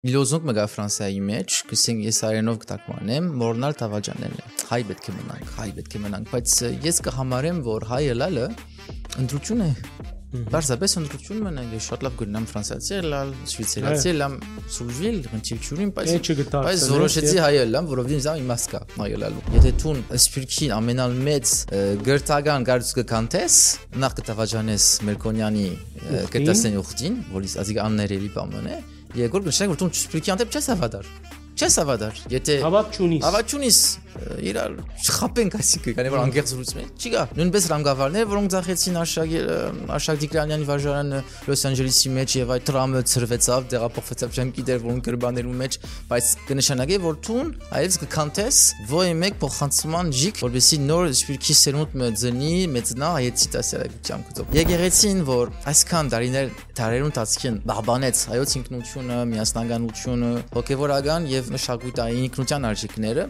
Լոզունգ մգա Ֆրանսիայի մեջ, կսենք ես արենով կտակմանեմ, մորնալ Թավաջանելն է։ Հայ պետք է մնանք, բայց ես կհամարեմ, որ հայը լալը ընտրություն է։ Բարձրապես ընտրություն մնա, ես շատ լավ գտնամ ֆրանսիացի լալ, շվեյցարացի լալ, սուժիլ, հնչիչուրին, բայց որոշեցի հայը լալ, որովհետեւ ինձ իմաստ կա հայը լալու։ Եթե դու սպիրկին ամենալ մեծ գրթական գարուց կկանտես, նախ կտավաջանես Մերկոնյանի կտասեն ուխտին, որից ազիգ աններելի բան է։ Երկրորդ նշենք, որ դու սպիրկի անտեպ չես հավատար, եթե հավատ չունիս, իրար չխապենք այսինքն, քանի որ անկեղծ զրուցում են, չի գա։ Նույնպես ռանգավարներ, որոնք ձախեցին Արշակ Դիկրանյանի վարժարանը Լոս Անջելեսի մեջ եւ այդ տրամը ծրվեցավ, դեղափոխվեցավ չեմ գիտեր որոնք գրբաներու մեջ, բայց կնշանակի, որ դու այլևս կքանտես ոյ մեկ փոխանցման ժիկ, որովհետեւ նոր սպիրկի սերունդ մեծնա հայեցի տասյալակությամբ կծով։ Եկեղեցին, որ այսքան դարերուն տածքին բաղբանեց հայոց ինքնությունը, միասնականությունը, հոգեվորական եւ մշակութային ինքնության արժեքները,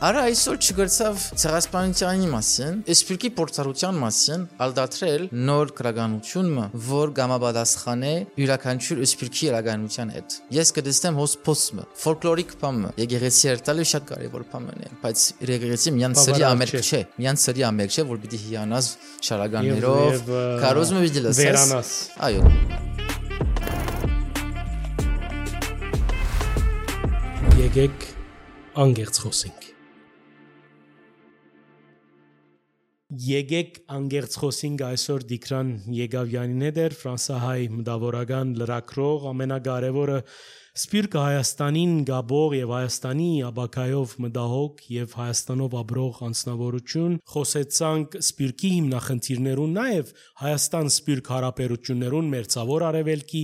արա այսօր չգրծավ ցեղասպանության մասին, սպիրկի փորձառության մասին, ալդատրել նոր քրագանությունը, որ գամաբադասխան է յուրաքանչյուր սպիրկի իրականության հետ։ Ես կդստեմ հոսպոսը, ֆոլկլորիկ բանը, եկեղեցի երթալը շատ կարևոր բան է, բայց եկեղեցի միան սրի ամերիկ չէ, որ պիտի հիանաս շարականներով, կարոզումը պիտի լսես։ Այո։ Եկեք անգերց խոսենք։ Եկեք անգերց խոսենք այսօր Դիկրան Եգավյանին հետ էր ֆրանսահայ մտավորական լրագրող ամենակարևորը Սպիրկը Հայաստանին գաբող եւ Հայաստանի աբակայով մտահոգ եւ Հայաստանով ապրող անձնավորություն խոսեցանք Սպիրկի հիմնախնդիրներուն նաեւ Հայաստան Սպիրկ հարաբերություններուն մերձավոր արևելքի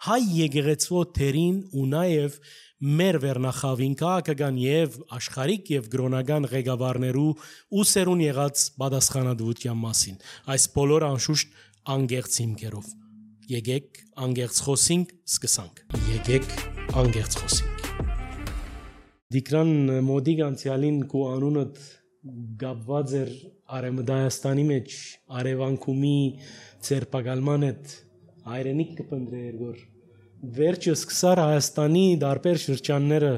հայ եկեղեցվո թերին ու նաեւ մեր վերնախավին քաղաքական եւ աշխարհիկ եւ գրոնական ղեկավարներու ու սերուն եղած պատասխանատվության մասին այս բոլոր անշուշտ անգերց հիմքերով եկեք անգերց խոսենք սկսանք եկեք անգերց խոսենք Դիկրան մոդիկ անցյալին քո անունդ գաբված էր Արեմդայաստանի մեջ Արևանկումի ցերպակալման հետ հայրենիք կպնդրեր որ վերջը սկսար Հայաստանի դարբեր շրջանները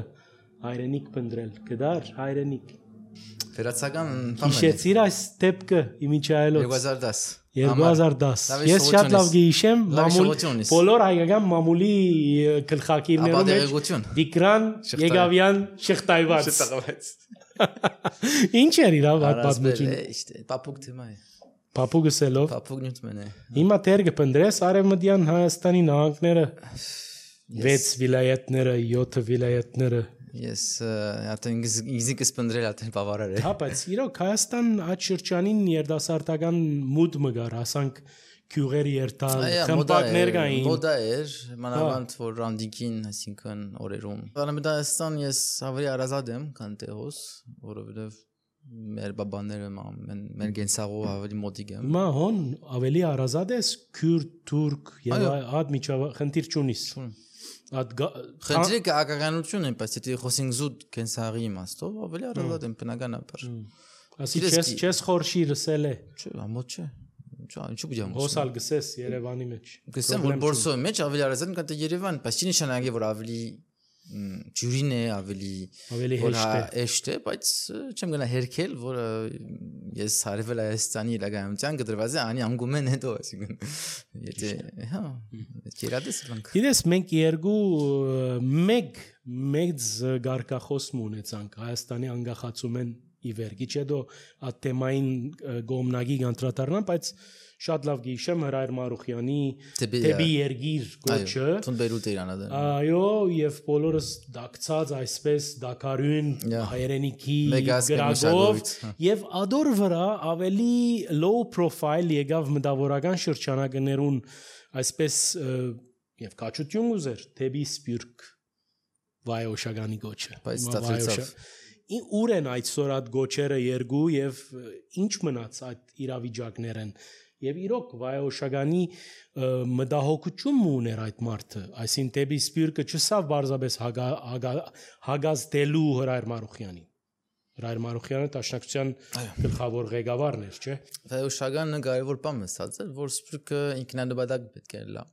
հայրենիք պնդրել կդար հայրենիք վերացական հիշեցիր այս տեպքը իմիջայելով 2010 ես շատ լավ գիշեմ մամուլ բոլոր հայկական մամուլի գլխակիրներում Դիկրան Եգավյան շղթայված ինչ էր իր պատմությունը պապուկ թեմա է Պապուգը սելով Պապուգ նյութմեն է Հիմա տեր կպնդրես արևմտյան Հայաստանի նահանգները 6 վիլայետները 7 վիլայետները Ես արդեն ինձ կպնդրել արդեն բավարար է Հա բայց իրոք Հայաստան այդ շրջանին երդասարտական մուտ մգար հասանք քյուղերի երթալ խմբակներ կային մոդա էր մանավանդ որ ռանդիկին այսինքն օրերում Արևմտյան ես ավելի արազատ եմ քան տեղոս որովհետև մեր բաբաները մեր գենսաղով ավելի մոտիկ եմ Մա հոն ավելի արազատ ես քուրդ թուրք եւ այդ միջավ խնդիր չունիս խնդիրը քաղաքականություն է բայց եթե խոսենք զուտ գենսաղի իմաստով ավելի արազատ եմ բնականաբար ասի չես խորշի լսել է չէ ամոթ չէ ինչու՞ բիդամ հոսալ գսես Երևանի մեջ գսեմ որ բորսոյի մեջ ավելի արազատ կան Երևան բայց չի նշանակի որ ավելի ջուրին է ավելի հեշտ է բայց չեմ գնա հերքել որ ես հարվել Հայաստանի իրականության կդրված է անի անգումեն հետո այսինքն եթե հա քերադես լանք Գիտես մենք երկու մեծ գարկախոսմ ունեցանք Հայաստանի անկախացումեն իվեր գիչեդո այդ թեմային գոմնագի անդրադառնամ բայց շատ լավ գիշեմ Հրայր Մարուխյանի Տեբի երգիր գոչը Թունբերուտ Իրանադը Այո եւ բոլորս դակցած այսպես Դակարուն հայերենիքի գրագով եւ ադոր վրա ավելի low profile եկավ մտավորական շրջանակներուն այսպես եւ կաչություն ուզեր Տեբի Սպիրկ վայոշագանի գոչը բայց ստացվեցավ Ուր են այսօր այդ գոչերը երկու եւ ինչ մնաց այդ իրավիճակներն Եվ իրոք վայոշագանի մտահոգություն ուներ այդ մարդը, այսին Տեբի Սպիրկը չսավ բարձաբես հագազդելու Հրայր Մարուխյանին։ Հրայր Մարուխյանը տաշնակցության գլխավոր ղեկավարն էր, չէ՞։ Վայոշագանը կարևոր բան մսած էր, որ Սպիրկը ինքնանպատակ պետք է լա։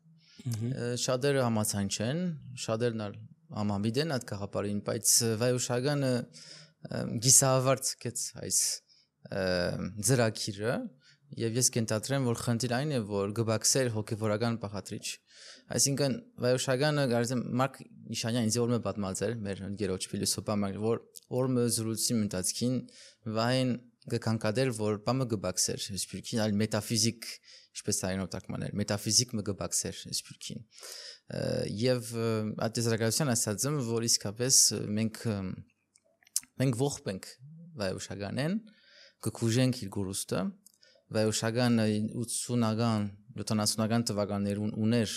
Շատերը համացան չեն, շատերն ամամիդեն այդ կաղապարին, բայց վայուշագանը գիսավարդ կեց այս ձրակիրը և ես կենտատրեմ, որ խնդիր այն է, որ գբաքսեր հոգևորական պախատրիչ։ Այսինքն վայուշագանը գարզեմ Մարկ Նիշանյան ինձ օրմը պատմած էր, մեր ընկերոջ ֆիլիսոփա, որ օրմը զրուցի մտածքին վային գկանկադեր, որ բամը գբաքսեր սպիրկին, այլ մետաֆիզիկ, ինչպես այնով տակմաներ, մետաֆիզիկ մը գբաքսեր սպիրկին։ Եվ այդ դեզրագայության ասած եմ, որ իսկապես մենք ողբ ենք վայուշագանեն, կկուժենք իր գուրուստը, վայուշագանը 80-ական, 70-ական թվականներուն ուներ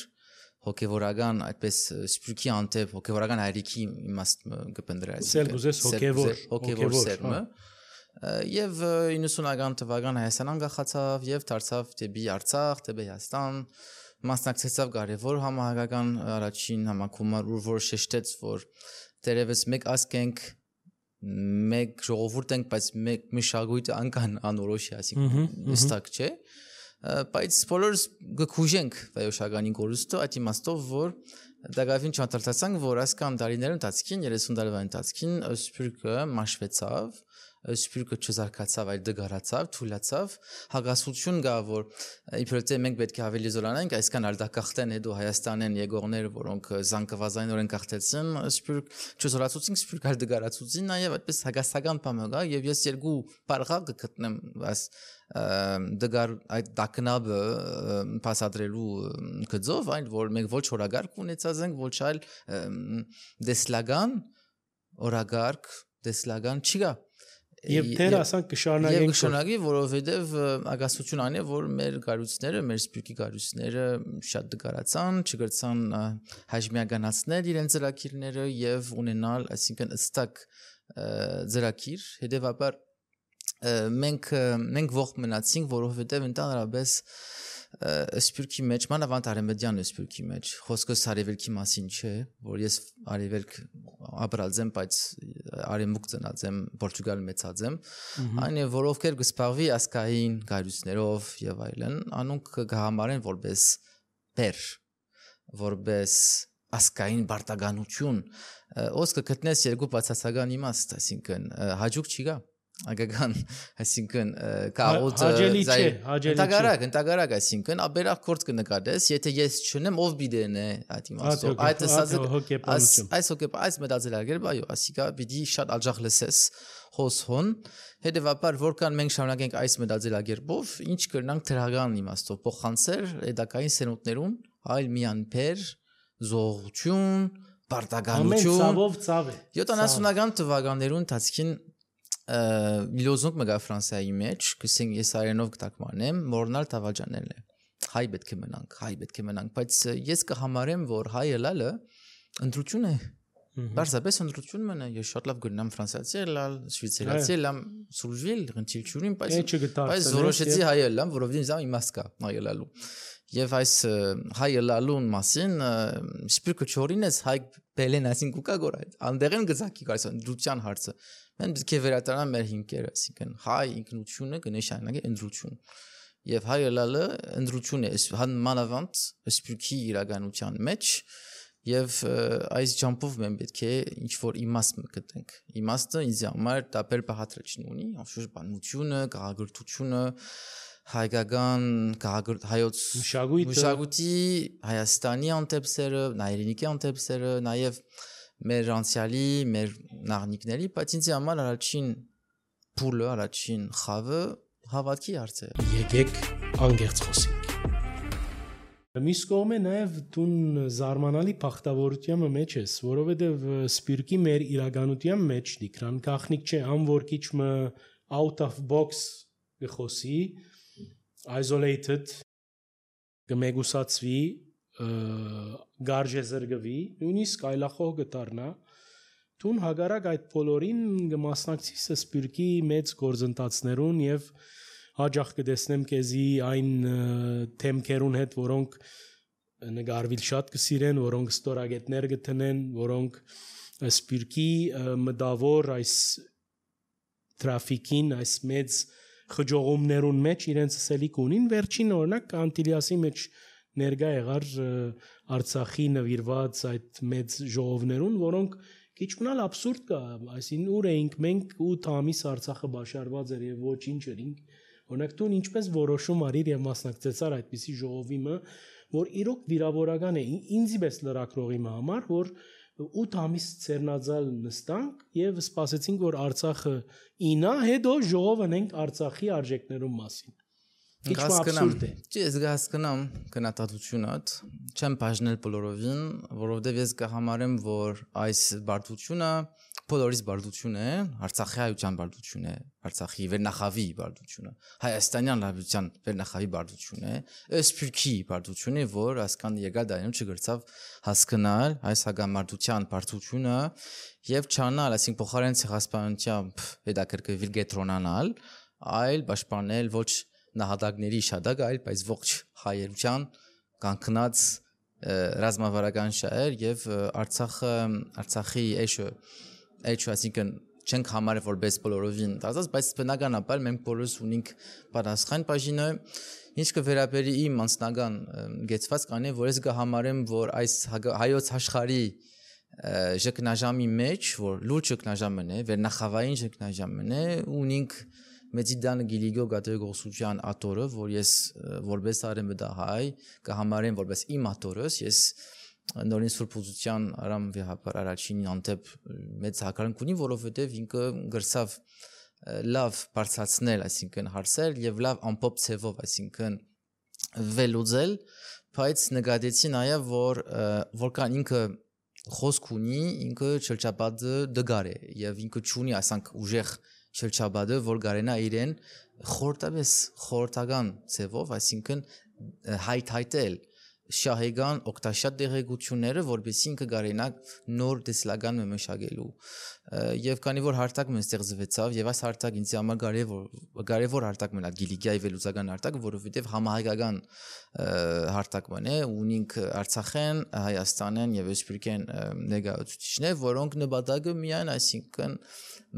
հոգևորական այդպես սպիրկի անտեպ հոգևորական հայրիկի իմաստ գպնդրած հոգևոր սերմը եւ 90-ական թվական Հայաստան անկախացավ եւ դարձավ դեպի Արցախ, դեպի Հայաստան, մասնակցեցավ կարևոր համահայկական առաջին համակոմար, որ շեշտեց, որ դերևս մեկ ազգ ենք, մեկ ժողովուրդ ենք, բայց մեկ մշակույթը անկան անորոշ է, այսինքն ստակ չէ, բայց բոլորս գկուժենք վայուշագանի գորուստը այդ իմաստով, որ դակավին չանդրադարձանք, որ ասկան տարիներում ընթացքին 30 տարվա ընթացքին սպիրկը մաշվեցավ, սպիրկը չզարգացավ, այլ դգարացավ, թուլացավ, հագասություն գա, որ իբր թե մենք պետք է ավելի զորանանք, այսքան արտակախտեն հետո Հայաստանեն եկողներ, որոնք զանգվածայնորեն կախտեցին, սպիրկ չզորացուցին, սպիրկ այլ դգարացուցին, նաև այդպես հագասական բան կա, եւ ես երկու բառղակ գտնեմ, այս դգար այդ դակնաբը փասադրելու գծով, այլ որ մենք ոչ օրագարկ ունեցած ենք, ոչ այլ դեսլագան օրագարկ դեսլագան չկա։ Եվ դեր ասանք կշարունակենք։ Եվ կշարունակի, որովհետև ագասություն այն է, որ մեր գարուցները, մեր սպիրկի գարուցները շատ դգարացան, չգրցան հաշմիականացնել իրենց ծրագիրները եւ ունենալ, այսինքն ըստակ ծրագիր, հետեւաբար մենք ողջ մնացինք, որովհետև ընդհանրապես սպիրկի մեջ, մանավանդ արևմտյան սպիրկի մեջ, խոսքը արևելքի մասին չէ, որ ես արևելք ապրած եմ, բայց արևմուտք ծնած եմ, Պորտուգալ մեծած եմ, այն է, որ ովքեր կսպարվի ասկային գայություններով եւ այլն, անոնք կհամարեն որպես բեր, որպես ասկային բարտականություն, ոսկը գտնես երկու բացասական իմաստ, այսինքն հաջող չի գա Ագական, այսինքն կաղոտ ընտագարակ, այսինքն ապերախ կորդ կնկատես, եթե ես չնեմ, ով բիդեն է այդ իմաստով, այս մտածելակերպ, այո, ասիկա բիդի շատ աջախ լսես, հոս հոն, հետևաբար որքան մենք շարունակենք այս մտածելակերպով, ինչ կրնանք թրական իմաստով, փոխանցել հետագային սերունդներուն, այլ մի անբեր, զողություն, պարտականություն, 70-ական թվականներուն ընթացքին Միլոզոնք մգա Ֆրանսիայի մեջ, կսենք ես արենով կտակմանեմ, մորնալ Թավալջանելն է։ Հայ պետք է մնանք, բայց ես կհամարեմ, որ հայը լալը ընտրություն է։ Բարձրապես ընտրություն մնա, ես շատ լավ գտնամ ֆրանսիացի լալ, շվեյցարացի լամ, սուրժիլ, ռնչիլչուրին, բայց որոշեցի հայը լամ, որովհետև ինձ իմաստ կա հայը լալու։ Եվ այս հայը լալուն մասին սպիրկը չորինես հայ բելեն ասին կուկա գոր այդ անդեղեն գծակի կարս ընտրության հարցը մենք պետք է վերադառնանք մեր հիմքերը այսինքն հայ ինքնությունը կնշանակի ընտրություն եւ հայը լալը ընտրություն է մանավանդ սպիրկի իրականության մեջ եւ այս ջամփով մենք պետք է ինչ որ իմաստ գտնենք իմաստը ինձ համար տապել բաղադրիչն ունի անշուշտ բանությունը գաղագրթությունը հայկական հայոց մշակույթի Հայաստանի անտեպսերը, հայրենիքի անտեպսերը, նաև մեր անցյալի, մեր նախնիկների, բայց ինձ համար առաջին փուլը, առաջին խավը հավատքի հարց է։ Եկեք անգերց խոսենք։ Մյուս կողմը նաև դուն զարմանալի բախտավորության մեջ ես, որովհետև սպիրկի մեր իրականության մեջ դիկրան գախնիկ չէ, ան որ քիչ out of box գխոսի isolated գմեգուսացվի գարժե զրգվի նույնիսկ այլախոհ գտարնա դուն հագարակ այդ բոլորին կմասնակցես սպիրկի մեծ գործընթացներուն եւ հաջող կտեսնեմ քեզի այն թեմքերուն հետ որոնք նկարվել շատ կսիրեն որոնք ստորագետներ գտնեն որոնք սպիրկի մտավոր այս տրաֆիկին այս մեծ խջողումներուն մեջ իրենց սելիք ունին վերջին օրինակ Անտիլիասի մեջ ներկա եղար Արցախի նվիրված այդ մեծ ժողովներուն, որոնք քիչ մնալ абսուրդ կա, այսինքն ուր էինք մենք 8 ամիս Արցախը բաշարված էր եւ ոչինչ էինք։ Օրինակ դու ինչպես որոշում արիր եւ մասնակցեցար այդպիսի ժողովի մը, որ իրոք վիրավորական է ինձի պես լրակրողի համար, որ 8 ամիս ծերնածալ նստանք եւ սպասեցինք, որ Արցախը ինա, հետո ժողով անենք Արցախի արժեքներում մասին։ Քիչ абսուրդ է։ Ես հասկանամ քննադատությունդ, չեմ բաժնել բոլորովին, որովհետև ես կհամարեմ, որ այս բարդությունը բոլորիս բարդություն է, Արցախի հայության բարդություն է, Արցախի վերնախավի բարդությունը, հայաստանյան լավության վերնախավի բարդություն է, Սփյուռքի բարդություն է, որ ասկան եկած դայնում չգրծավ հասկանալ այս հագամարտության բարդությունը եւ չանալ, այսինքն փոխարեն ցեղասպանությամբ հետաքրքրվել գետրոնանալ, այլ պաշտպանել ոչ նահատակների շատակ, այլ բայց ողջ հայերության կանգնած ռազմավարական շահեր եւ Արցախի էշը այսինքն չենք համարել որպես բոլորովին դարձած, բայց բնականաբար մենք բոլորս ունենք պատասխան բաժինը, ինչ կվերաբերի իմ անձնական գեցվածքանը, որ ես կհամարեմ, որ այս հայոց աշխարհի ճգնաժամի մեջ, որ լուրջ ճգնաժամն է, վերնախավային ճգնաժամն է, ունենք Մեծիդան Գիլիգո գատեգորսության աթորը, որ ես որպես արեմդահայ կհամարեմ որպես իմ աթորս, ես նորին սուրբուզության արամ վեհապար առաջին անտեպ մեծ հակարանք ունի, որովհետև ինքը գրսավ լավ բարձրացնել, այսինքն հարցեր եւ լավ ամփոփ ցևով, այսինքն վելուձել, բայց նկատեցի նաեւ որ կան ինքը խոսք ունի, ինքը շրջապատը դգար է եւ ինքը ճունի ասանք ուժեղ շրջապատը, որ գարենա իրեն խորտական ցևով, այսինքն հայթայթել շահեգան օկտաշատ դեղեցությունները, որովհետեւ ինքը գարենա նոր դեսլական մշակելու եւ քանի որ հարթակ մեն ստեղծվեցավ եւ այս հարթակ ինձ համար կարևոր հարթակ մնա Գիլիգիայի վերլուծական հարթակ, որովհետեւ համահայկական հարթակ մն է, ունենք Արցախեն, Հայաստանեն եւ Սփյուռքեն ներկայացուցիչներ, որոնք նպատակը միայն, այսինքն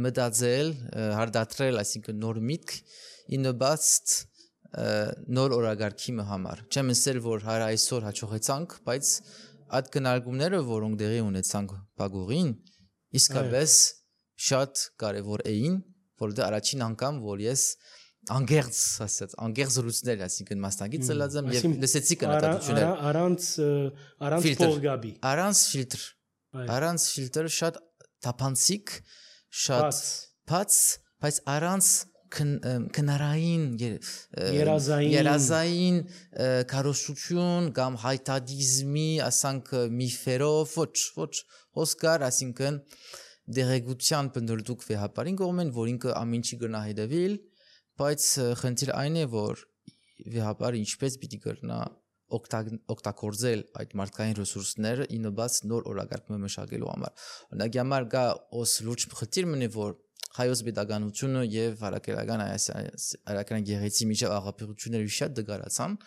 մտածել, հարդատրել, այսինքն նոր միտք իննոբաստ նոր օրագարկի համար։ Չեմ ասել, որ այսօր հաջողեցանք, բայց այդ քննարկումները, որոնք դեղի ունեցանք Բագուղին, իսկապես շատ կարևոր էին, որովհետեւ առաջին անգամ, որ ես անգերձ զրույցներ, այսինքն մասնակից ելած եմ եւ լսեցի քննադատություններ առանց փողգաբի, առանց ֆիլտր շատ թափանցիկ, շատ բաց, բայց առանց քնարային երազային կարոշություն կամ հայտադիզմի, ասանք միֆերով, ոչ հոսքար, այսինքն դեղեցության բնդրդուկ վեհապարին կողմեն, որ ինքը ամենի գնա հետևիլ, բայց խնդիր այն է, որ վեհապարը ինչպես պիտի կրնա օգտագործել այդ մարդկային ռեսուրսները ինոբաց նոր օրագարկում մշակելու համար։ Օրինակ համար կա ոս լուրջ խնդիր մնի, որ հայոց պետականությունը եւ հարակերական գեղեցի միջև աղափեղությունները շատ դգարացան,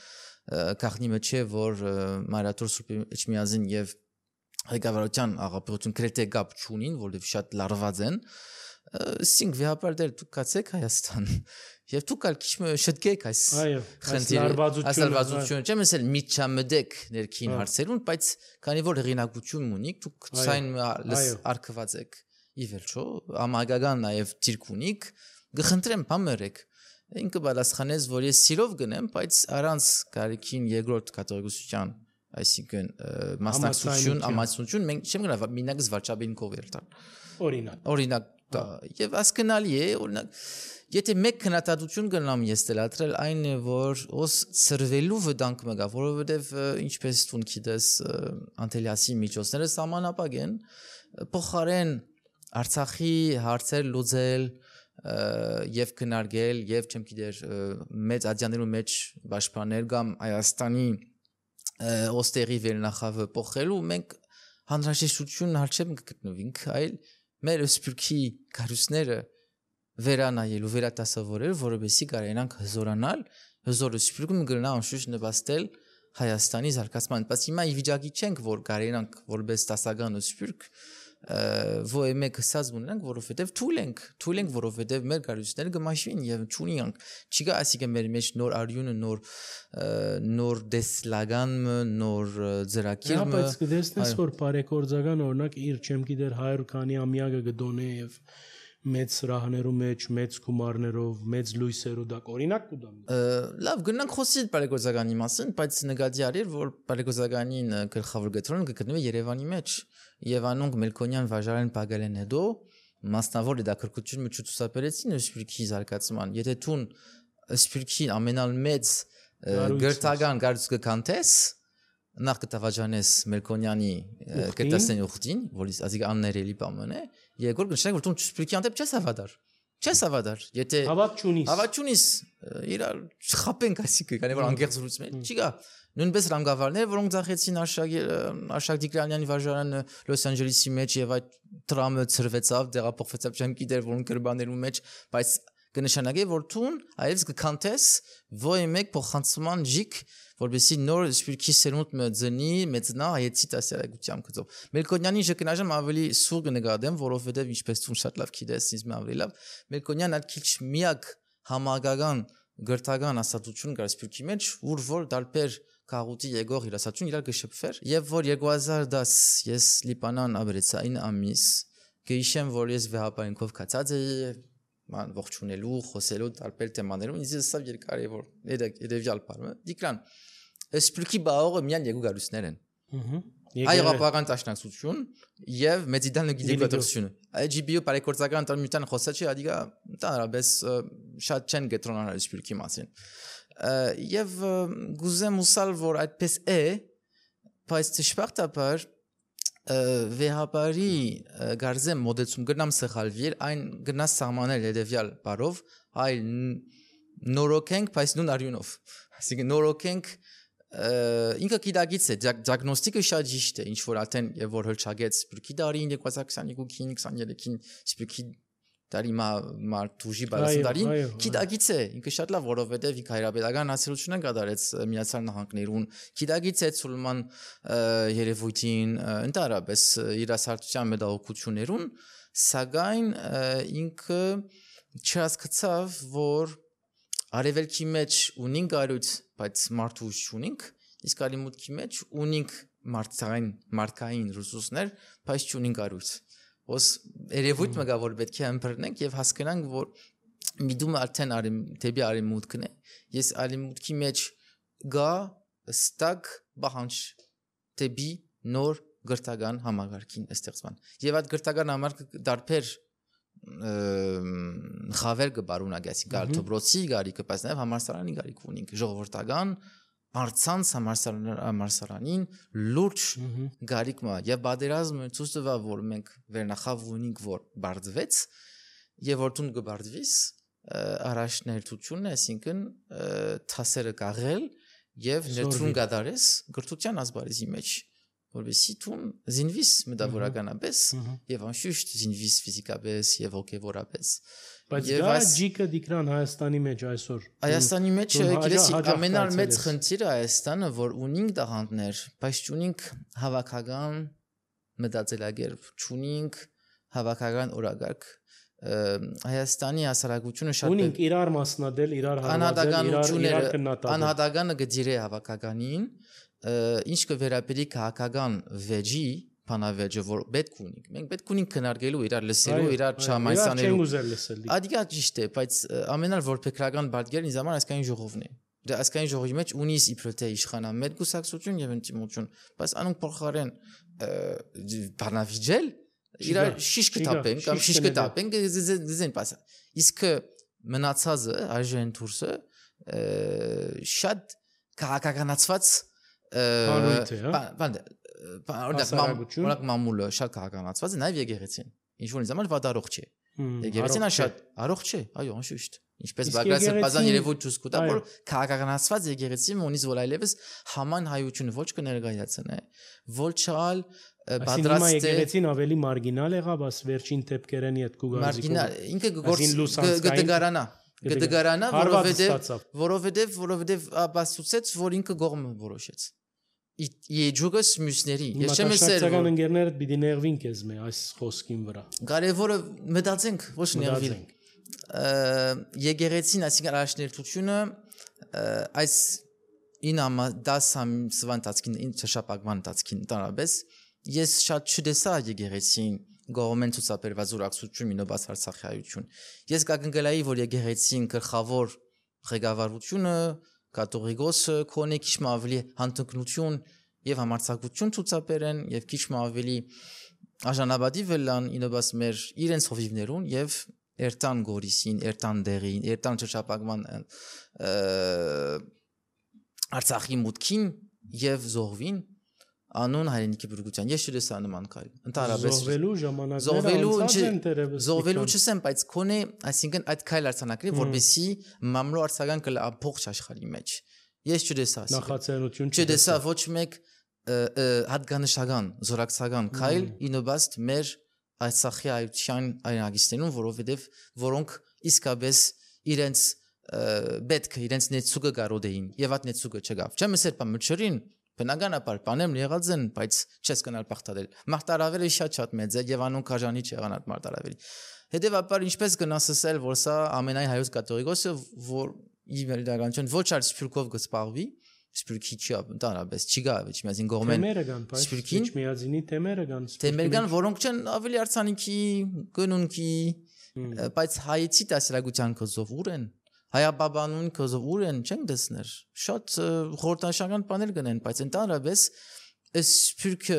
կախնի մեջ է, որ Մարաթոր Սուրբ Էջմիածին եւ ղեկավարության աղափեղություն գրեթե կապ չունին, որովհետեւ շատ լարված են, սինք վեհապար դեր դուք կացեք Հայաստան եւ դուք ալ քիչ շտկեք այս լարվածությունը, չեմ ասել միջամդեք ներքին հարցերուն, բայց քանի որ հեղինակություն ունիք, դուք ցայն արկված եք ի վերջո, ամագական նաև ծիրք ունիք, գխնդրեմ բամերեք, ինքը պատասխանեց, որ ես սիրով գնեմ, բայց առանց կարիքին երկրորդ կատեգորիական, այսինքն մասնակցություն, ամացություն, մենք չեմ գնա մինակ զվարճաբին կովերտան։ Օրինակ, եւ ասկնալի է, օրինակ, եթե մեկ քննադատություն գնամ ես դելատրել, այն է, որ ոս ծրվելու վտանգ մգա, որովհետեւ ինչպես տուն գիտես, անտելիասի միջոցները սահմանապակ են, փոխարեն Արցախի հարցեր լուծել եւ քննարկել եւ չեմ գիտեր մեծ ադյաներու մեջ պաշտպանել կամ Հայաստանի ոստերի վերնախավը փոխելու մենք հանրաշեշտություն հաշվեմ կգտնվենք, այլ մեր Սփյուռքի կառույցները վերանայելու, վերատասավորել, որովհետեւ կարենանք հզորանալ, հզորը Սփյուռքում գնա անշուշտ նպաստել Հայաստանի զարգացման, բայց հիմա ի վիճակի չենք, որ կարենանք որպես տասական Սփյուռք Որ մենք հսած ունենք, որովհետև թույլ ենք, որովհետև մեր գարույցները գմաշվին եւ ճունիանք։ Չկա ասիկը մեր մեջ նոր արյունը, նոր դեսլագանը, նոր ծրակիրը։ Բայց կդեսնես որ բարեգործական օրինակ իր չեմ գիտեր 100 քանի ամյակը գդոնե եւ մեծ սրահներու մեջ, մեծ գումարներով, մեծ լույսերով դա օրինակ կուտամ։ Լավ, գնանք խոսի բարեգործականի մասին, բայց նկատի արիր, որ բարեգործականին գլխավոր գծրոնը գտնվում է Երևանի մեջ եւ անոնք Մելքոնյան վաժարեն բագալեն հետո մասնավոր դակրկություն մուծուսապերեցին սպիրկի զարգացման։ Եթե տուն սպիրկի ամենալմեծ գրթական գարուցքը կանտես նախ կտավաջանես Մելքոնյանի կտասեն ուխտին, որից ազիգ աններելի բան է, երկրորդ կնշենք որ տուն սպիրկի անտեպ չես հավատար, եթե հավատ չունիս, իրար խապենք ասիկը, կանե որ անգերց զրուցում չի գա, նույնպես ռանգավարներ, որոնք ձախեցին Արշակ Դիկրանյանի վարժարանը Լոս Անջելեսի մեջ եւ այդ տրամը ծրվեցավ, դեղափոխվեցավ չեմ գիտեր որոնք գրբաներու մեջ, բայց կնշանակի որ տուն այլևս կքանտես ոյ մեկ փոխանցման ջիկ որովհետեւ նոր սպիրկի սերունդ մձնի մեծնա հայեցի տասերագությամբ կծով Մելքոնյանի շքնաժամ ավելի սուր կնկատեմ որովհետեւ ինչպես տուն շատ լավ գիտես ինձ ավելի լավ Մելքոնյան այդ քիչ միակ համագական գրթական ասացություն կար սպիրկի մեջ որ դալպեր Կաղուտի եկող իր ասացություն իրար կշփվեր եւ որ 2010 ես Լիբանան աբրեցային ամիս գիշեմ որ ես վեհապարինքով կացած էի ման ողջունելու խոսելու տարբեր թեմաներում ինձ հսավ երկար է որ երևյալ բանը դիկրան սպիրկի բաղը միան երկու գարուսներ են այրապական տաշնակցություն եւ մեծիդան գիտակցությունը IGBO բարեգործական տարմիտան խոսա չի ադիգա տարաբես շատ չեն գետրոնալ սպիրկի մասին եւ գուզեմ ուսալ որ այդպես է բայց ճշմարտաբար վեհապարի գարզեմ մոդեցում գնամ սխալվիր այն գնաս սահմանել հետեւյալ բարով այլ նորոքենք բայց նույն արյունով այսինքն նորոքենք ինքը գիտագից է դիագնոստիկը շատ ճիշտ է ինչ որ արդեն եւ որ հլչագեց սպիրկի դարին 2022-ին 23-ին սպիրկի դարի մարտուժի բարասնդարին գիտագից է ինքը շատ լավ որովհետեւ ինքը հայրապետական հասարությունն կատարեց Միացյալ Նահանգներուն գիտագից է Սուլման երևույթին ընդհանրապես իր հասարակության մեդաղություններուն սակայն ինքը չհասկացավ որ արևելքի մեջ ունին գարույց բայց մարդուժ չունինք իսկ արևմուտքի մեջ ունինք մարդկային ռեսուրսներ բայց չունին գարույց Ոս երևույթ մգա որ պետք է ըմբռնենք եւ հասկանանք որ միդումը արդեն դեպի արևմուտքն է ես արևմուտքի մեջ գա ստակ բանջ դեպի նոր գրթական համագարկին ստեղծման եւ այդ գրթական համագարկը դարբեր խավեր կբարունագասի գալթոբրոցի գարիկը բայց նաեւ համալսարանի գարիկ ունենք ժողովրդական Արցանց համալսարանին լուրջ գարիկմա եւ բادرազմը ցույց տվա որ մենք վերնախավ ունենք որ բարձվեց եւ որ տուն կբարձվիս առաջներթությունն է այսինքն թասերը կաղել եւ ներդրում կդարես գրթության ասբարեզի մեջ որովհետեւ տուն զինվիս մտավորականապես եւ անշուշտ զինվիս ֆիզիկապես եւ հոգեվորապես Բայց դա ջիկը դիկրան Հայաստանի մեջ այսօր Հայաստանի մեջ գիտես ամենամեծ խնդիրը Հայաստանը որ ունինք տաղանդներ բայց չունինք հավաքական մտածելակերպ չունինք հավաքական օրագարկ Հայաստանի հասարակությունը շատ ունինք իրար մասնադել իրար հարվածել իրար կնատել անհատականը գդիրե հավաքականին ինչ կվերապերի քաղաքական վեճի Փանավեջը որ պետք ունենք մենք պետք ունենք քննարկելու իրար լսելու իրար չհամայնանելու ադիգա ճիշտ է բայց ամենալ որ փեքրական բարգերն ինձ համար այսքային ժողովն է դա այսքային ժողովի մեջ ունիս իբրե թե իշխանամետ գուսակցություն եւ ինտիմություն բայց անոնք փոխարեն բանավիջել իրար շիշ կտապեն կամ շիշ կտապեն դզեն պասա իսկ մնացածը այժմ դուրսը շատ քաղաքականացված բան օրինակ մամուլը շատ քաղաքականացված է նաև եկեղեցին ինչ որ ինձ համար վատառողջ է եկեղեցին շատ առողջ է այո անշուշտ ինչպես Բագրատ Սրբազան երևույթ դուս կուտա որ քաղաքականացված եկեղեցին ունից որ այլևս համան հայությունը ոչ կներկայացնե ոչ չալ պատրաստ է եկեղեցին ավելի մարգինալ եղավ աս վերջին տեպկերենի հետ կուգարզիկով մարգինալ ինքը գտգարանա որովհետև ապաստուցեց որ ինքը գողմը որոշեց Եջուգս մյուսների։ Ես չեմ ասել Մատաշարցական ընկերներդ պիտի նեղվին քեզ մե այս խոսքին վրա։ Կարևորը մտածենք, ոչ նեղվիլ։ Եկեղեցին, այսինքն առաջնորդությունը այս ինամա 10 սվանտացքին ինչապակման տացքին տարաբես ես շատ չդեսա եկեղեցին գողոմեն ցուցաբերված ուրախություն մինոբաց Արցախայություն։ Ես կակնկալայի, որ եկեղեցին գլխավոր ղեկավարությունը կաթողիկոսը քոնե քիչ ավելի հանդգնություն եւ համարձակություն ցուցաբերեն եւ քիչ ավելի աժանաբադի վելան ինոբաս մեր իրենց հովիվներուն եւ Երտան Գորիսին, Երտան դեղին, Երտան չշապակման Արցախի մուտքին եւ Զողվին անուն հայրենիքի բուրգության ես չդեսա նման կայլ ընդհանրապես զոհվելու ժամանակները զոհվելու չսեմ բայց քոնե այսինքն այդ կայլ արցանակրի որբեսի մամլո արցական կլա փոխ աշխարհի մեջ ես չդեսա նախաձեռնություն չդեսա ոչ մեկ հատկանշական զորակցական կայլ ինոբաստ մեր Արցախի այության այրագիստերուն որովհետեւ որոնք իսկապես իրենց պետք իրենց նեցուկը գարոդեին եւ այդ նեցուկը չգավ չեմ ասել պամչրին բնականաբար բանեմ եղած են բայց չես կնալ բախտadel մարտարավերը շատ մեծ է եւ անուն քաժանի չեղան այդ մարտարավերի հետեւաբար ինչպես գնաս ասել որ սա ամենայն հայոց կաթողիկոսը որ իվերդականություն ոչ արդ սփյուռքով գծպաղվի սփյուռքի չի ընդհանրապես չի գա ոչ միայն գողմեն սփյուռքին միածինի թեմեր կան որոնք չեն ավելի արցանիքի գնունքի բայց հայեցի դասերագության կոզով ուր են հայաբաբանուն կոզով ուր են չենք դեսներ շատ խորտաշական բաներ գնեն բայց ընդհանրապես սփյուռքը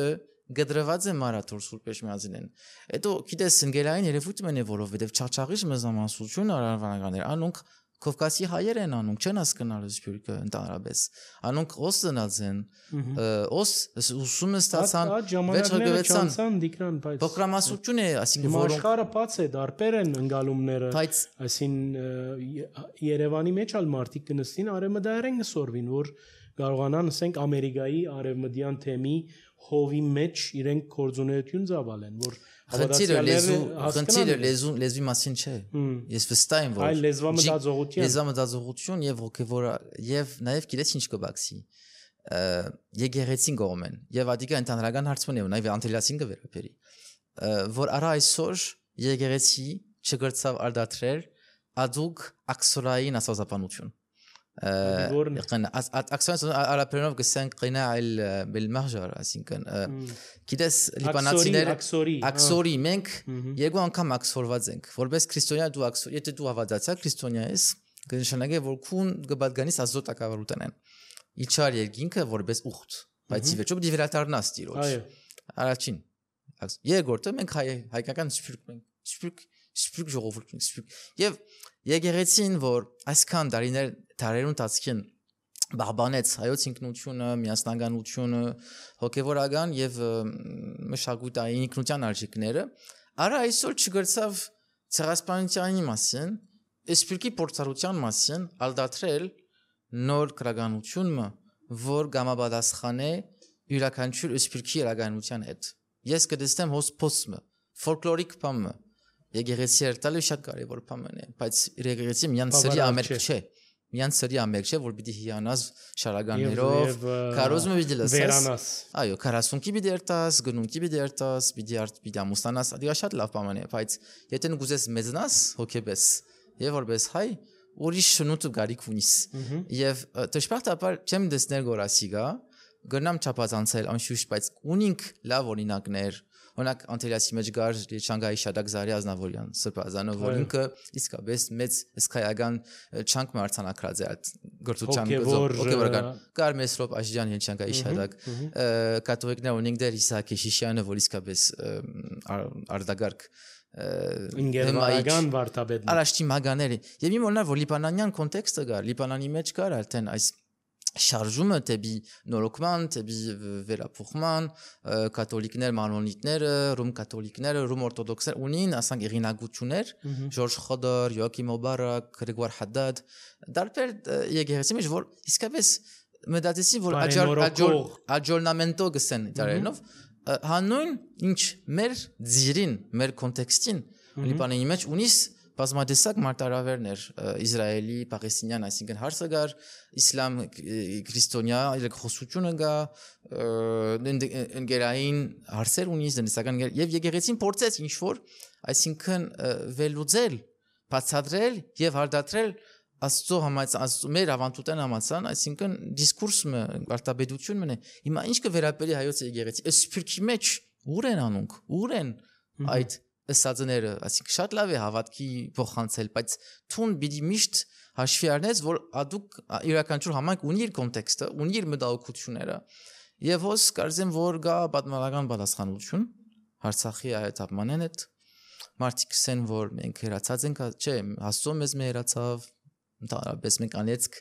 գդրված է մարաթոր սուրբեշ միածինեն հետո գիտես ընկերային երևույթ մենե որովհետև չաղճաղիչ մեզամասություն արարվանականներ անոնք Կովկասի հայեր են անոնք չեն հասկանալ սփյուռքը ընդհանրապես անոնք օսնած են օս ուսումը ստացան վեճղեցան դիկրան բայց փոքրամասնություն է ասինքն որոնք աշխարհը բաց է դարբեր են ընկալումները այսին Երևանի մեջ ալ մարտիկ կնստին արևմտահայերեն նսորվին որ կարողանան ասենք Ամերիկայի արևմտյան թեմի հովի մեջ իրենք կորձունեություն ծավալեն որ Խնդիրը լեզվի մասին չէ ես վստահ եմ որ այլ լեզվամտածողություն եւ հոգեվոր եւ նաեւ գիտես ինչ կբացի եկեղեցին գոմեն եւ ադիկա ընդհանրական հարցում է նաեւ անտելիասին կվերապերի որ արա այսօր եկեղեցի չգրծավ արդատրել ադուկ աքսորային ասազապանություն աքսորային արաբերենով գսենք qina بالمهجر ասինքն գիտես լիբանացիներ աքսորի մենք երկու անգամ աքսորված ենք որպես քրիստոնյա դու աքսոր եթե դու հավատացյալ քրիստոնյա ես կնշանակե որ քուն գբադգանից ազոտ ակավարութեն իչար երկինքը որպես ուխտ բայց ի վերջո դի վերադառնաս տիրոջ առաջին երկրորդը մենք հայկական սփյուռք մենք սփյուռք ժողովուրդ ենք սփյուռք եւ եկեղեցին որ այսքան դարերուն տածքին բաղբանեց հայոց ինքնությունը միասնականությունը հոգեվորական եւ մշակութային ինքնության արժեքները արա այսօր չգրծավ ցեղասպանության մասին սփյուռքի փորձառության մասին ալդատրել նոր քրագանությունը որ գամաբադասխան է յուրաքանչյուր սփյուռքի իրականության հետ ես կդստեմ հոսպոսմը ֆոլկլորիկ բամը եկեղեցի երտալը շատ կարևոր բան է բայց եկեղեցի միան սրի ամերիկ չէ միան սրի ամերիկ չէ որ պիտի հիանաս շարականներով կարոզմը պիտի լսես այո 40-ի պիտի երտաս գնունքի պիտի երտաս պիտի ամուսնանաս դա շատ լավ բան է բայց եթե նգուզես մեծնաս հոգեպես եւ որպես հայ ուրիշ շնութ գարիք ունիս եւ դժբախտաբար չեմ դեսներ գորասիգա գնամ չափազանցել անշուշտ բայց ունինք լավ օրինակներ Օրինակ Անտելիասի մեջ գար Շանգայի Շադակ Զարի Ազնավուրյան Սրբազանը որ ինքը իսկապես մեծ իսկայական չանք մարտանակրած է այդ գործության հոգեվորական գար Մեսրոպ Աշջան Շանգայի Շադակ կաթողիկներ ունենք դեր Իսահակ Շիշյանը որ իսկապես արդագարգ ինգերվարական վարտաբեդ Արաշտի մագաները եւ իմ օրինակ որ լիբանանյան կոնտեքստը գար լիբանանի մեջ գար արդեն այս շարժումը դեպի նորոգման, դեպի վերափոխման, կաթոլիկներ, մանոնիտները, ռում կաթոլիկները, ռում օրթոդոքսներ ունին, ասենք եղինակություններ, Ժորժ Խոդոր, Յոակիմ Օբարակ, Գրեգոր Հադադ, դարբեր եկեղեցի մեջ որ իսկապես մտածեցի որ աջորնամենտո գսեն դարերնով հանուն ինչ մեր ձիրին, մեր կոնտեքստին Լիբանանի մեջ ունիս բազմադեսակ մարտահրավերներ Իսրայելի, Պաղեստինյան, այսինքն հարցը գար, իսլամ, քրիստոնյա երկխոսությունը գա, ընկերային հարցեր ունի, դնեսական եւ եկեղեցին փորձեց ինչ որ, այսինքն վերլուծել, բացատրել եւ հարդատրել Աստծո համաձայն մեր ավանդույթն համաձայն, այսինքն դիսկուրսը, արտաբերությունը, հիմա ինչ կվերապերի հայոց եկեղեցի, սփյուռքի մեջ ուր են անունք, ուր են այդ ըսածները, այսինքն շատ լավ է հավատքի փոխանցել, բայց թուն պիտի միշտ հաշվի առնես, որ ադուք իրականություն համայնք ունի իր կոնտեքստը, ունի իր մտահոգությունները, եւ հոս կարծեմ, որ գա պատմական պատասխանություն Արցախի այդ ապմանեն հետ, մարդիկ ասեն, որ մենք հերացած ենք, չէ, Աստծո մեզ մերացավ Ընդհանրապես մենք անեցք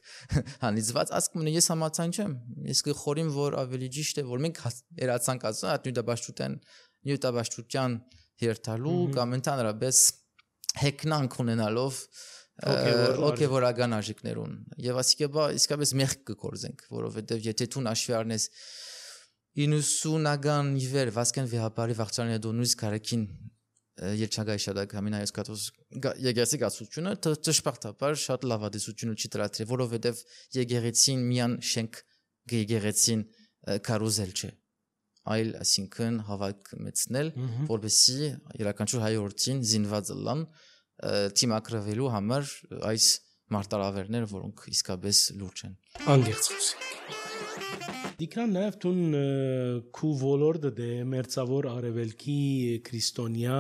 հանիծված ասկում ես համաձայն չեմ ես կխորիմ որ ավելի ճիշտ է որ մենք երացանք ասում այդ նյութաբաշխության հերթալու կամ ընդհանրապես հեքնանք ունենալով օկեվորական արժեքներուն եւ իսկապես մեղք կգործենք որովհետեւ եթե դու հաշվի առնես 90-ական իվեր Վասկեն վեհապարի վաղճանի դոնույս կարեկին Երջագայ շադակ համին հայոց կաթողիկ եկեղեցի գացությունը ճշմարտաբար շատ լավադեսություն չի տրատրի որովհետև եկեղեցին միան շենք եկեղեցին կարուզել չէ այլ այսինքն հավաք մեծնել որովհետեւ իրականություն հայորդին զինված լան թիմակրվելու համար այս մարտահրավերները որոնք իսկապես լուրջ են անգերց խոսենք Դիկրան նաև տուն քու ոլորտը դե մերձավոր արևելքի քրիստոնյա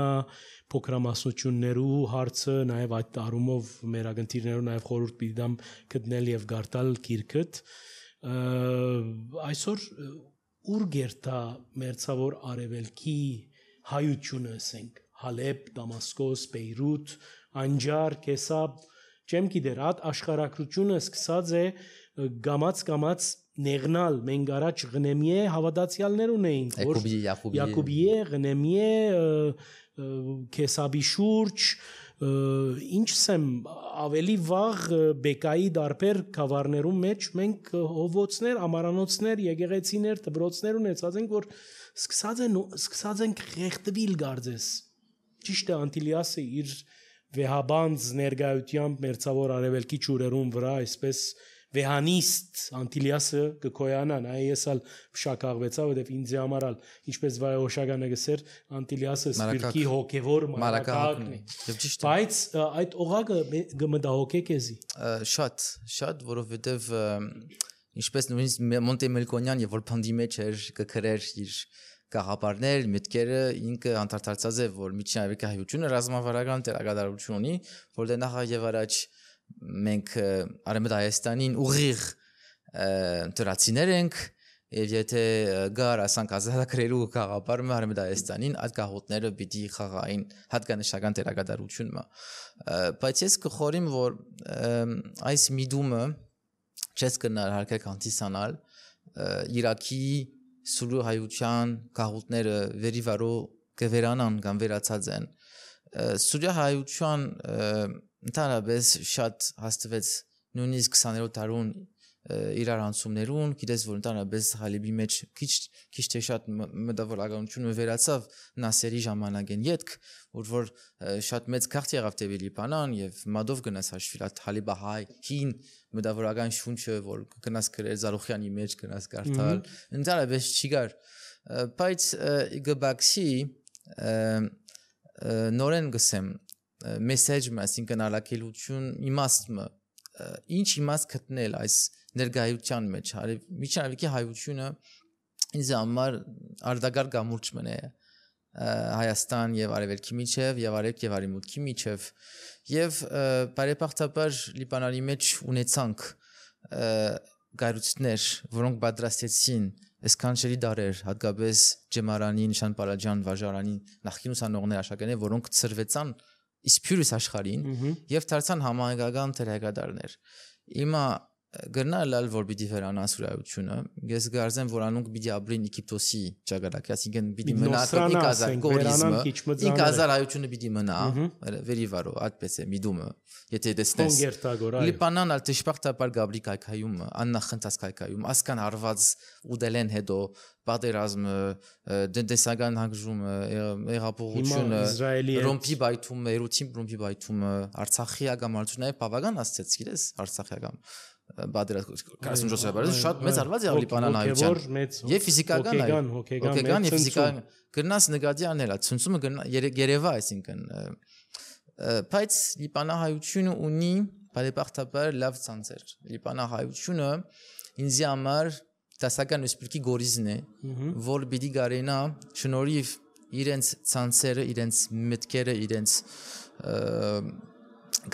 փոքրամասնություններու հարցը նաև այդ առումով մեր ագընտիրներով նաև խորհուրդ պիտի գտնել եւ գարտալ քիրքդ այսօր ուր գերտա մերձավոր արևելքի հայությունը ասենք Հալեբ, Դամասկոս, Բեյրութ, Անջար, Կեսաբ չեմ գիտեր այդ աշխարհակրությունը սկսած է գամած նեղնալ մենք առաջ գնեմիե հավատացյալներ ունեին որ Յակոբիե գնեմիե Կեսաբի շուրջ ինչ ասեմ ավելի վաղ բեկայի դարբեր կավառներում մեջ մենք հովոցներ, ամարանոցներ, եկեղեցիներ, դպրոցներ ունեցած ենք որ սկսած ենք ղեղտվիլ գարձես ճիշտ է Անտիլիասը իր վեհաբանց ներգայությամբ մերձավոր արևելքի ճուրերուն վրա այսպես Վեհանիստ Անտիլիասը կկոյանան այսալ շակաղվեցա որտեվ ինձ համարալ ինչպես վայոշականը գսեր Անտիլիասը սպիրկի հոգևոր մարակակն է բայց այդ օղակը գմդահոգե քեզի շատ որովհետև ինչպես նույնիսկ Մոնտեմելկոնյան եւ որ փանդի մեջ էր կքրեր իր գաղափարներ մտքերը ինքը անդրադարձած է որ միջնավերկա հայությունը ռազմավարական տեղեկատվություն ունի որ նախ եւ առաջ մենք Արևմուտք Հայաստանին ուղիղ դրացիներ ենք եւ եթե գար ասանք ազատագրելու գաղափարը Արևմուտք Հայաստանին այդ գաղութները պիտի խաղային հատկանշական տեղեկատվություն բայց ես կխորիմ որ այս միտումը չես կնար հարկեք անտիսանալ Իրաքի սուրու հայության գաղութները վերիվարո կվերանան կամ վերացած են սուրյա հայության Ընդհանրապես շատ հաստվեց նույնիսկ 20-րդ դարուն իրար անցումներուն, գիտես որ ընդհանրապես Հալեբի մեջ քիչ թե շատ մտավորականությունը վերացավ Նասերի ժամանակեն յետք, որ շատ մեծ քաղց եղավ դեպի Լիբանան եւ մադով գնաց հաշվի Հալեբա հայ հին մտավորական շունչը որ գնաց գրել Զարուխյանի մեջ գնաց կարդալ, ընդհանրապես չի գար, բայց գբաքսի նորեն գսեմ մեսեջ այսինքն ալակելություն իմաստը ինչ իմաստ գտնել այս ներգայության մեջ միջավայրի հայությունը ինձ համար արդագար գամուրջ մնե Հայաստան եւ Արևելքի միջև եւ Արևք եւ Արևմուտքի միջև եւ բարեբախտաբար Լիբանանի մեջ ունեցանք գայրություններ որոնք պատրաստեցին Այսքանչելի դարեր հատկապես Ջեմարանին, Շանպալաջան, Վաժարանին նախկին ուսանողներ աշակերտներ որոնք ծրվեցան իսփյուրս աշխարհին եւ դարձան համահայկական տեղեկատարներ։ Հիմա Գնալ որ պիտի վերանան սուրայությունը ես գարզեմ որ անոնք պիտի ապրեն Եգիպտոսի ճակատագրի այսինքն պիտի մնա կորիզմը 5000 հայությունը պիտի մնա վերիվարո այդպես է միդումը եթե տեսնես Լիբանան ալ դժբախտաբար գաբրի կայքայում աննախընթաց կայքայում ասկան հարված ուդելեն հետո պատերազմը դենտեսական հանգժումը հեղափոխությունը ռոմպի բայթումը երութին ռոմպի բայթումը Արցախի ագամարտությունը բավական ասցեց գիտես Արցախի Բادرած 44 բարես շատ մեծ արված է Լիբանան հայության եւ ֆիզիկական հոգեգան եւ ֆիզիկական գրնաս նկատի անել ցնցումը երևա այսինքն բայց Լիբանան հայությունը ունի բարեբախտաբար լավ ցանցեր Լիբանան հայությունը ինձ համար դասական սպիրկի գորիզն է որ պիտի գարենա շնորհիվ իրենց ցանցերը իրենց մտքերը իրենց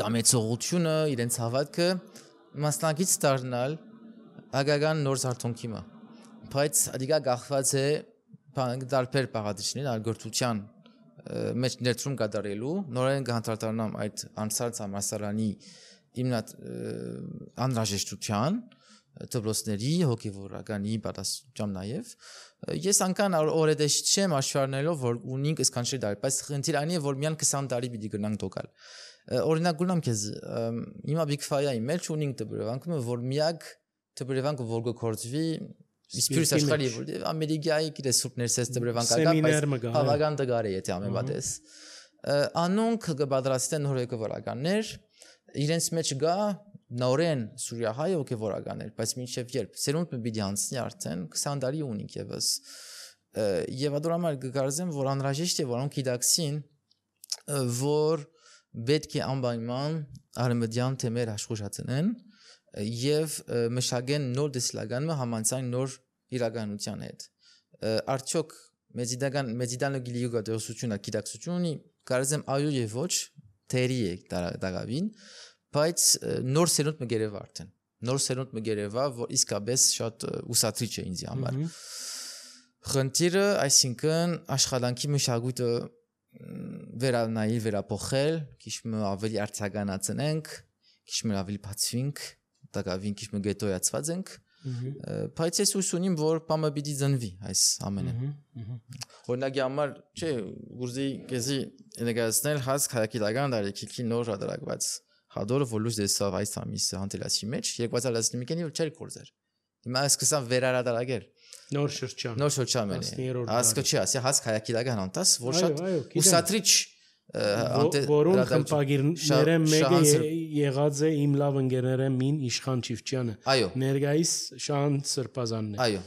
գամեցողությունը իրենց հավատքը մասնակից դառնալ ագական նոր զարթոնքի բայց ադիգա գախված է դարբեր պաղադրիչներ արգորտության մեջ ներդրում կատարելու նորեն կհանդրադառնամ այդ անցած համասարանի անհրաժեշտության դպրոցների հոգևորականի պատասխան նաև ես անգամ օրեդեշ չեմ աշխարհնելով որ ունենք այսքանչի դար բայց խնդիրը որ միան 20 տարի պիտի գնանք դոկալ օրինակ գուլամ քեզ հիմա Big Fire-ի մեջ ունենք դպրևանքը որ միակ դպրևանքը որ գործվի իսպիրս աշխարհի որ ամերիկայի գիտես սուպներսես դպրևանկական բայց բավական դգար է եթե ամեն բատես անոնք կբադրաստեն հոգևորականներ իրենց մեջ գա նորեն սուրիահայ հոգևորականներ բայց մինչև երբ սերունդ պիտի անցնի արդեն 20 տարի ունենք եւս եւ adorամալ կգարձեմ որ անհրաժեշտ է որոնք գիտակցին որ պետք է անպայման արմեդյան թեմեր աշխուժացնեն եւ մշակեն նոր դիսլագանը համանցային նոր իրականության հետ արդյոք մեծիդանը գիլիուգա դերսությունը գիտակցությունի կարծեմ այո եւ ոչ թերի է դակավին բայց նոր սերունդ մգերեվ արդեն նոր սերունդ մգերևա որ իսկապես շատ ուսատրիչ է ինձ համար խնդիրը այսինքն աշխատանքի մշակույթը վերանայել վերափոխել քիչ ավելի արձագանացնենք քիչ ավելի բացվենք դակավին քիչ գետոյացված ենք բայց ես հույս ունիմ որ բամը պիտի ծնվի այս ամենը օրինակի համար չէ գուրզի քեզի ներկայացնել հաս քայակիլական դարիքի նոր հադրակված հադորը որ լույս դեսավ այս ամիսը հանդելասի մեջ 2015-ին որ չէր կորզեր հիմա սկսավ վերարադարակել նոր շրջան ասկը չի ասի հաս քայակիլական անտաս որ շատ ուսատրիչ որոնք խմբագիրները մեկը եղած է իմ լավ ընկերներեմ մին Իշխան Չիվչյանը ներկայիս Շահան Սրբազանն է այո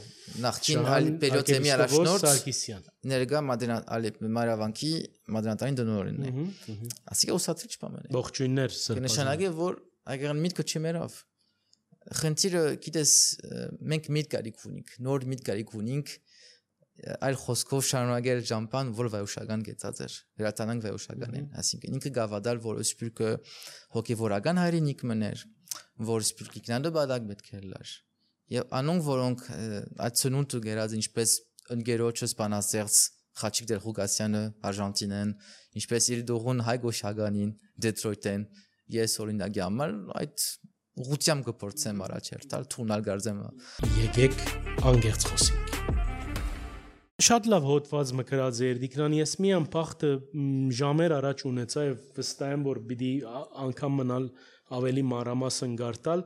նախքին այլ պերիոդեմի առաջնորդ ներկա Մարավանքի մադրանտային դնորենն է ասիկա ուսատրիչ բան է ողջույններ Սրբազան նշանակե որ այգան միտքը չմերավ խնդիրը գիտես մենք միտք կարիք ունենք նոր միտք կարիք ունենք այլ խոսքով շարունակել ճամփան որ վայուշական գեցած էր հրատանանք վայուշականին այսինքն ինքը գավադալ որ սպիրկը հոգևորական հայրենիք մներ որ սպիրկիկնանդը բադակ պետք է լար եւ անոնք որոնք այդ ծնունդը գերած ինչպես ընկերոջս բանաստեղծ Խաչիկ Դերխուգասյանը Արժանտինեն ինչպես իր դողուն Հայգո Շագանին Դեթրոյթեն ես օրինակի համար այդ ուղղությամբ կփորձեմ առաջերտալ թունալ գարձեմ եկեք անգերց խոսենք Շատ լավ հոդված մկրած էր Դիկրան ես մի ամփախտը ժամեր առաջ ունեցա եւ վստահ եմ որ պիտի անգամ մնալ ավելի մանրամասն գարտալ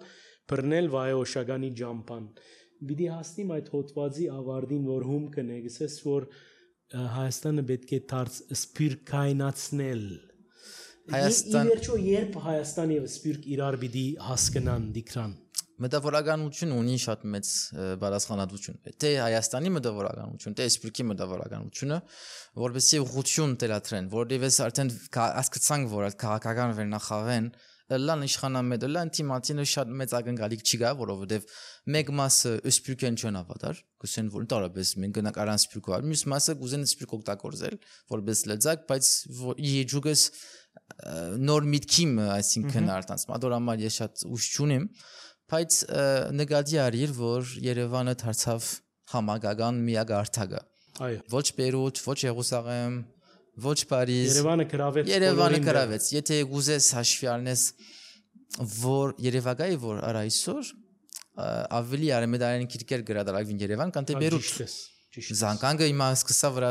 բռնել վայոշականի ջամփան պիտի հասնիմ այդ հոդվածի ավարտին որ հում կնեգսես որ Հայաստանը պետք է սպիրկայնացնել Հայաստան Իվերջո երբ Հայաստան եւ սպիրկ իրար պիտի հասկանան Դիկրան Մտավորականություն ունի շատ մեծ բարձրացնատություն։ Թե Հայաստանի մտավորականություն, թե Սպիրկի մտավորականությունը, որովհետեւ ուղղություն տելատրեն, որովհետեւ արդեն հասկացանք, որ այդ քաղաքական վերնախավեն լան իշխանամետ լան թիմատինը շատ մեծ ակնկալիք չի գա, որովհետեւ մեկ մասը Սպիրկեն չեն ավատար, կուսեն որ տարաբես մենք գնանք առանց Սպիրկով, մյուս մասը կուզեն Սպիրկ օգտագործել, որպես լեզակ, բայց իջուգս նոր միտքիմ, այսինքն արտանց մադորամալ ես շատ ուշ չունեմ Բայց նկատի արիր, որ Երևանը դարձավ համագական միակ արտագը։ Ոչ Բեյրութ, ոչ Երուսաղեմ, ոչ Փարիզ։ Երևանը գրավեց։ Եթե գուզես հաշվի առնես, որ Երևանայի որ առայսօր ավելի արեմեդարային քիրքեր գրադարագին Երևան կանտե Բերութ Զանկանգը հիմա սկսա վրա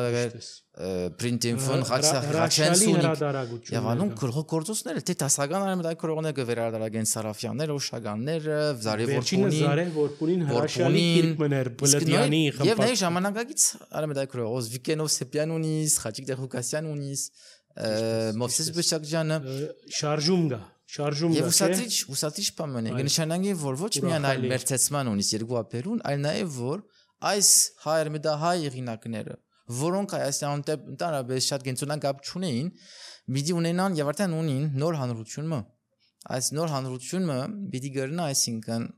պրինտինգ խաչենսունի եւ անուն գործոցները թե տասական արեմեդարի քրողները վերադարագեն Սարաֆյաններ Օշագանները Զարեն Որպունին հրաշալի քիրք մներ Բլդյանի խմբակ եւ նայ ժամանակակից արեմեդարի քրող Վիկենով Սեպյան ունիս Խաչիկ Տեր-Ղուկասյան ունիս Մովսես Բշակջյանը շարժում գա Եվ ուսատրիչ բան է նշանակի որ ոչ միայն այլ մերցեցման ունիս երկու ափերուն այլ նաև որ այս հայ եղինակները որոնք Հայաստանում ընդհանրապես շատ գենցունակ կապ չունեին պիտի ունենան եւ արդեն ունին նոր հանրությունը այս նոր հանրությունը պիտի գրնա այսինքն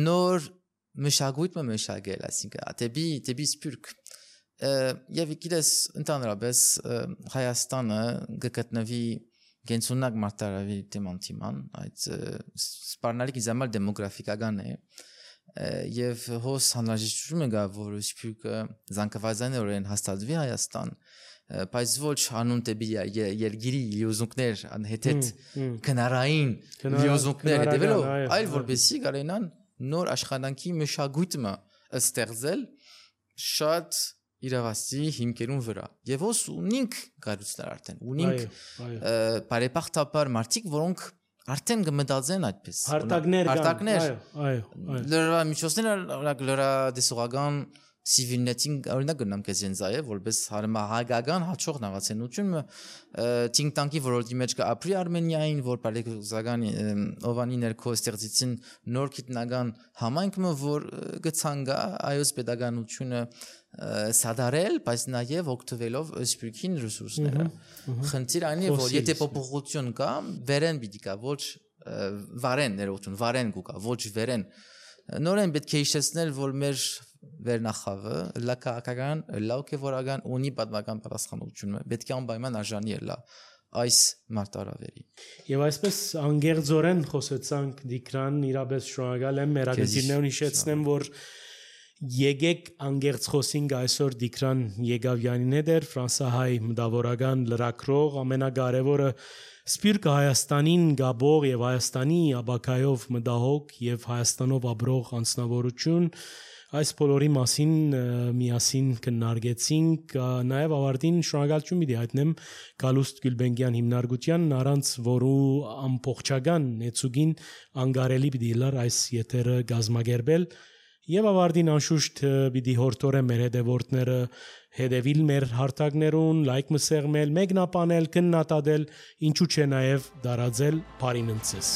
նոր մշակույթը մշակել այսինքն դեպի սփյուռք եւ գիտես ընդհանրապես Հայաստանը գտնվի Գենցունակ մարտարավի դեմանտիման այդ սպառնալիք իզամալ դեմոգրաֆիկական է եւ հոս հանրաժողովությունը գա որ սփյուռքը զանգվածանորեն հաստատվի Հայաստան բայց ոչ անուն դեպի երգիրի լիոզունքներ անհետետ քնարային լիոզունքներ դեվելով այլ որպեսի կարենան նոր աշխատանքի մշակույթը ստեղծել շատ իրավասի հիմքերուն վրա եւ ոս ունինք գարուցներ արդեն ունինք բարեպախտաբար մարդիկ որոնք արդեն կմտածեն այդպես հարտակներ լրա միջոցները լրա դեսողական Սիվիլնետին օրինակ գնամ կեզենզայ որպես հայկական հաջող նավացենությունը think tank-ի որոշի մեջ կա ապրի Արմենիային որ բարեկզական Օվանի ներքո ստեղծեցին նոր գիտնական համայնքը որ գցանգա այոս pedagoganությունը սադարել բայց նաև օգտվելով սպյուրքին ռեսուրսները խնդիր այն է որ եթե փոփոխություն կա վերեն պիտի կա ոչ վարեն ներողություն վարեն կա ոչ վերեն նորեն պետք է հիշեցնել որ մեր վերնախավը լակական լաուկեվորական ունի պատմական պատասխանատվությունը պետք է անպայման արժանի է այս մարտարավերի եւ այսպես անգերձորեն խոսեցանք Դիկրան իրապես շնորհակալ եմ մեր ագետիներուն հիշեցնեմ որ եկեք անգերձ խոսենք այսօր Դիկրան Եգավյանին հետ էր ֆրանսահայ մտավորական լրագրող ամենակարևորը Սպիրկը Հայաստանին գաբող եւ Հայաստանի աբակայով մտահոգ եւ Հայաստանով ապրող անձնավորություն այս բոլորի մասին միասին քննարկեցինք նաև ավարտին շնորհակալություն պիտի հայտնեմ Գալուստ Գյուլբենկյան հիմնարկության առանց որու ամբողջական նեցուգին անգարելի պիտի լար այս եթերը գազմագերբել եւ ավարտին անշուշտ պիտի հորտորեմ մեր հետևորդները հետևիլ մեր հարթակներուն լայք մսեղմել մեկնաբանել քննադատել ինչու՞ չէ նաև դարաձել բարինընծես